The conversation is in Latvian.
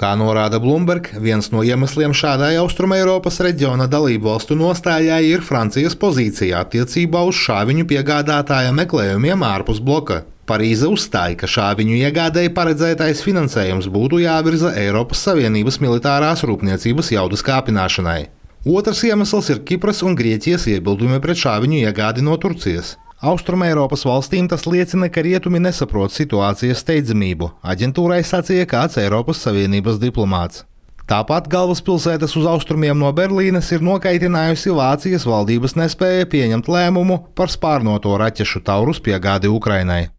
Kā norāda Bloomberg, viens no iemesliem šādai Austrumeiropas reģiona dalību valstu nostājai ir Francijas pozīcija attiecībā uz šāviņu piegādātāja meklējumiem ārpus bloka. Parīze uzstāja, ka šāviņu iegādēji paredzētais finansējums būtu jāvirza Eiropas Savienības militārās rūpniecības jaudas kāpināšanai. Otrs iemesls ir Kipras un Grieķijas iebildumi pret šāviņu iegādi no Turcijas. Austrumeiropas valstīm tas liecina, ka rietumi nesaprot situācijas steidzamību, aģentūrai sacīja kāds Eiropas Savienības diplomāts. Tāpat galvaspilsētas uz austrumiem no Berlīnes ir nokaitinājusi Vācijas valdības nespēja pieņemt lēmumu par spārnoto raķešu Taurus piegādi Ukrainai.